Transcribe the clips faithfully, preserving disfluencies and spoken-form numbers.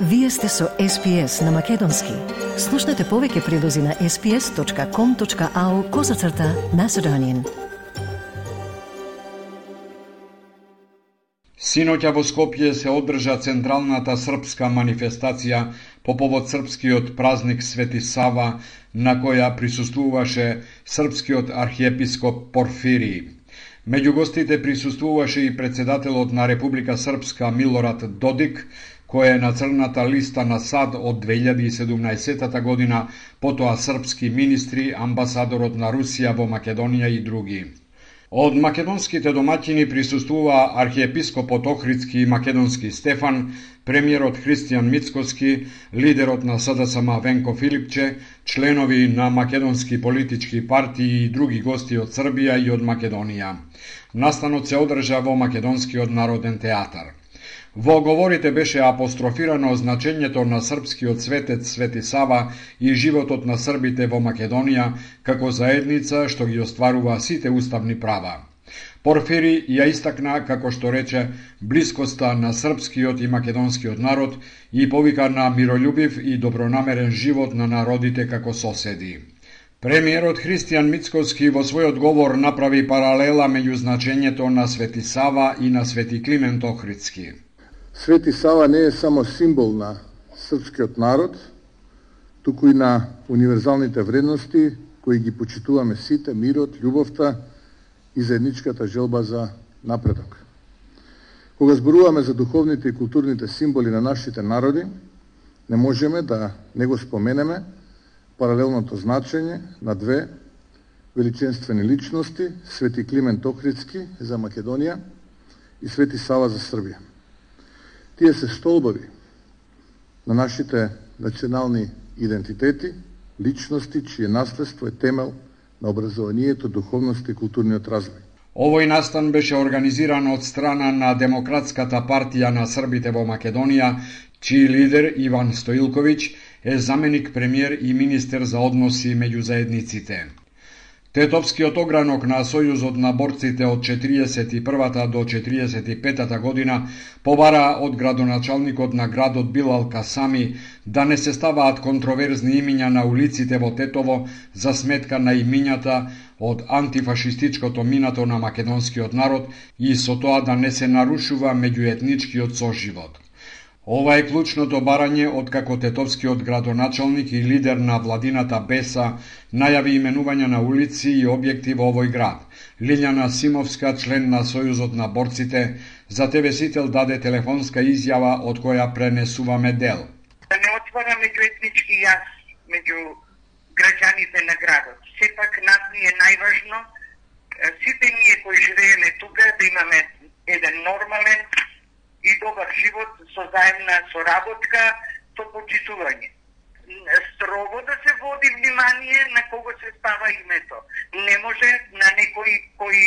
Вие сте со Ес Пи Ес на Македонски. Слушнете повеќе прилози на ес пи ес точка ком точка ау козацрта Macedonian. Синоќа во Скопје се одржа централната српска манифестација по повод српскиот празник Свети Сава, на која присуствуваше српскиот архиепископ Порфирий. Меѓу гостите присуствуваше и председателот на Република Српска Милорад Додик, кој е на црната листа на САД од две илјади и седумнаесетта година, потоа српски министри, амбасадорот на Русија во Македонија и други. Од македонските домаќини присуствува архиепископот Охридски и македонски Стефан, премиерот Христијан Мицкоски, лидерот на С Д С М Венко Филипче, членови на македонски политички партии и други гости од Србија и од Македонија. Настанот се одржа во Македонскиот народен театар. Во говорите беше апострофирано значењето на српскиот светец Свети Сава и животот на србите во Македонија како заедница што ги остварува сите уставни права. Порфири ја истакна, како што рече, блискоста на српскиот и македонскиот народ и повика на мирољубив и добронамерен живот на народите како соседи. Премиерот Христијан Мицкоски во својот говор направи паралела меѓу значењето на Свети Сава и на Свети Климент Охридски. Свети Сава не е само символ на српскиот народ, туку и на универзалните вредности кои ги почитуваме сите, мирот, љубовта и заедничката желба за напредок. Кога зборуваме за духовните и културните символи на нашите народи, не можеме да не го споменеме паралелното значење на две величенствени личности, Свети Климент Охридски за Македонија и Свети Сава за Србија. Тие се столбови на нашите национални идентитети, личности, чие наследство е темел на образованието, духовност и културниот развој. Овој настан беше организиран од страна на Демократската партија на србите во Македонија, чиј лидер Иван Стоилковиќ е заменик премиер и министер за односи меѓу заедниците. Тетовскиот огранок на Сојузот на борците од четириесет и првата до четириесет и петата година побара од градоначалникот на градот Билал Касами да не се ставаат контроверзни имиња на улиците во Тетово за сметка на имињата од антифашистичкото минато на македонскиот народ и со тоа да не се нарушува меѓуетничкиот соживот. Ова е клучното барање откако тетовскиот градоначалник и лидер на владината Беса најави именување на улици и објекти во овој град. Лилјана Симовска, член на Сојузот на борците, за Те Ве Сител даде телефонска изјава од која пренесуваме дел. Да не отвара меѓуетнички јаз меѓу граѓаните на градот. Сепак нас ни е најважно сите ние кои живееме тука да имаме еден нормален и добар живот со заемна соработка, со почитување. Строго да се води внимание на кого се става името. Не може на некој кој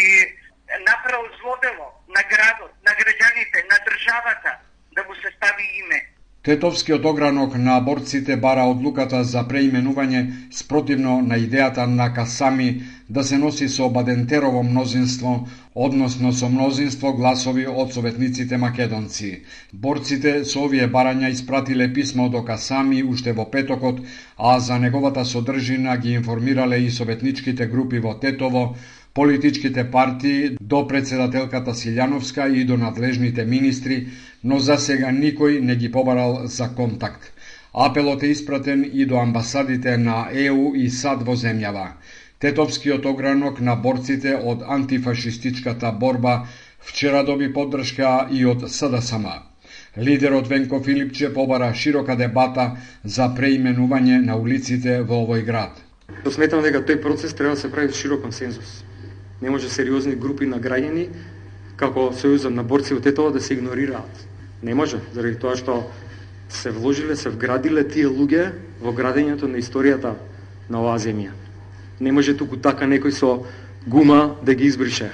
направил зло дело на градот, на граѓаните, на државата, да му се стави име. Тетовскиот огранок на борците бара одлуката за преименување спротивно на идејата на Касами да се носи со Бадентерово мнозинство, односно со мнозинство гласови од советниците македонци. Борците со овие барања испратиле писмо до Касами уште во петокот, а за неговата содржина ги информирале и советничките групи во Тетово, политичките партии, до председателката Силјановска и до надлежните министри, но за сега никој не ги побарал за контакт. Апелот е испратен и до амбасадите на Е У и САД во земјава. Тетовскиот огранок на борците од антифашистичката борба вчера доби поддршка и од С Д С М. Лидерот Венко Филипче побара широка дебата за преименување на улиците во овој град. Сметам дека тој процес треба да се прави широк консензус. Не може сериозни групи на граѓани, како Сојузот на борци од Тетово, да се игнорираат. Не може, заради тоа што се вложиле, се вградиле тие луѓе во градењето на историјата на оваа земја. Не може туку така некој со гума да ги избрише.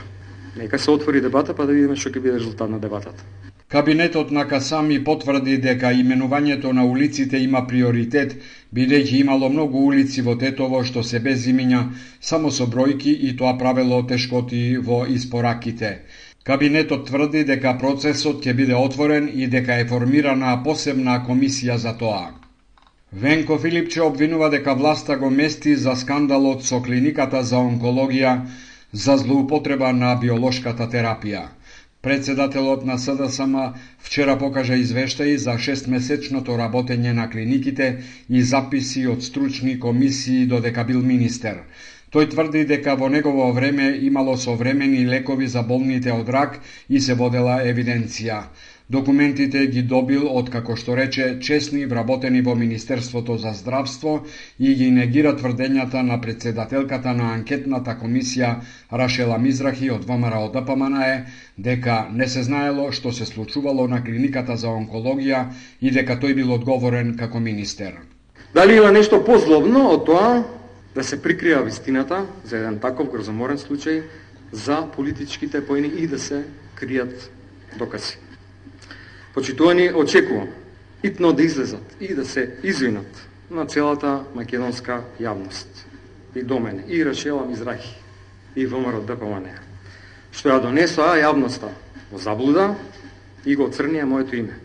Нека се отвори дебата, па да видиме што ќе биде резултат на дебатата. Кабинетот на Касами потврди дека именувањето на улиците има приоритет, бидејќи имало многу улици во Тетово што се без имиња, само со бројки и тоа правело тешкоти во испораките. Кабинетот тврди дека процесот ќе биде отворен и дека е формирана посебна комисија за тоа. Венко Филипче обвинува дека власта го мести за скандалот со клиниката за онкологија за злоупотреба на биолошката терапија. Председателот на С Д С М вчера покажа извештаи за шестмесечното работење на клиниките и записи од стручни комисии додека бил министер. Тој тврди дека во негово време имало современи лекови за болните од рак и се водела евиденција. Документите ги добил од, како што рече, честни вработени во Министерството за здравство и ги негира тврдењата на председателката на анкетната комисија Рашела Мизрахи од Во М Р о Д П М Н Е дека не се знаело што се случувало на клиниката за онкологија и дека тој бил одговорен како министер. Дали има нешто позлобно од тоа да се прикрија вистината за еден таков грозоморен случај за политичките поени и да се кријат докази? Почитувани, очекувам итно да излезат и да се извинат на целата македонска јавност и до мене, и Рашела Мизрахи, и Во М Р О Д П М Н Е, што ја донесоа јавноста во заблуда и го црнија моето име.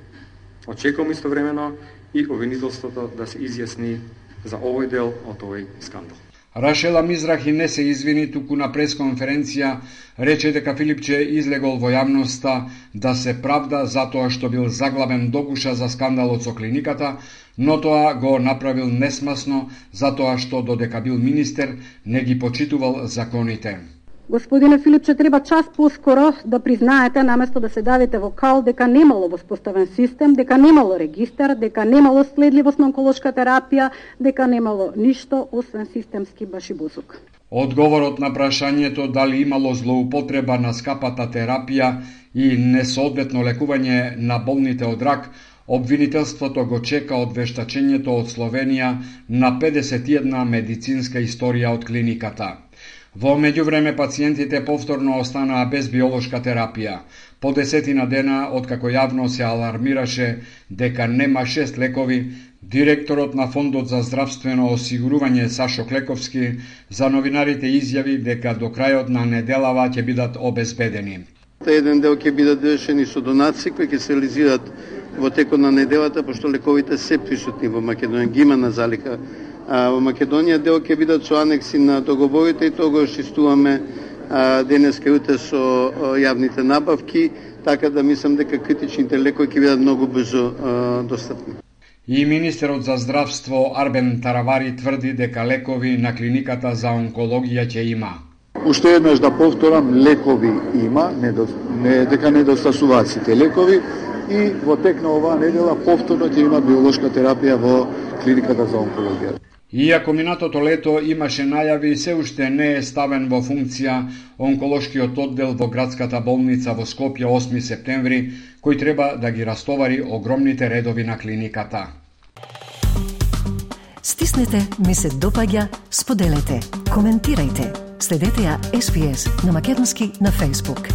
Очекувам истовремено и обвинителството да се изјасни за овој дел од овој скандал. Рашела Мизрахи не се извини, туку на пресконференција рече дека Филипче излегол во јавноста да се правда затоа што бил заглавен догуша за скандалот со клиниката, но тоа го направил несмасно затоа што додека бил министер не ги почитувал законите. Господине Филипче, треба час поскоро да признаете, наместо да се давите во кал, дека немало воспоставен систем, дека немало регистар, дека немало следливост на онколошка терапија, дека немало ништо освен системски башибузук. Одговорот на прашањето дали имало злоупотреба на скапата терапија и несоодветно лекување на болните од рак, обвинителството го чека од вештачењето од Словенија на педесет и една медицинска историја од клиниката. Во меѓувреме пациентите повторно останаа без биолошка терапија. По десетина дена, откако јавно се алармираше дека нема шест лекови, директорот на Фондот за здравствено осигурување Сашо Клековски за новинарите изјави дека до крајот на неделава ќе бидат обезбедени. Еден дел ќе бидат довршени со донации кои ќе се реализираат во текот на неделата, пошто лековите се присутни во Македонија, ги има на залика. А во Македонија дел ќе бидат со анекси на договорите и тоа го шистуваме денеска и утре со јавните набавки, така да мислам дека критичните лекови ќе бидат многу брзо достапни. И министерот за здравство Арбен Таравари тврди дека лекови на клиниката за онкологија ќе има. Уште еднаш да повторам, лекови има, не дека недостасуваат сите лекови и во тек на оваа недела повторно ќе има биолошка терапија во клиниката за онкологија. Иако минатото лето имаше најави, се уште не е ставен во функција онколошкиот оддел во градската болница во Скопје осми септември, кој треба да ги растовари огромните редови на клиниката. Стиснете, ми се допаѓа, споделете, коментирајте. Следете ја С П С на македонски на Facebook.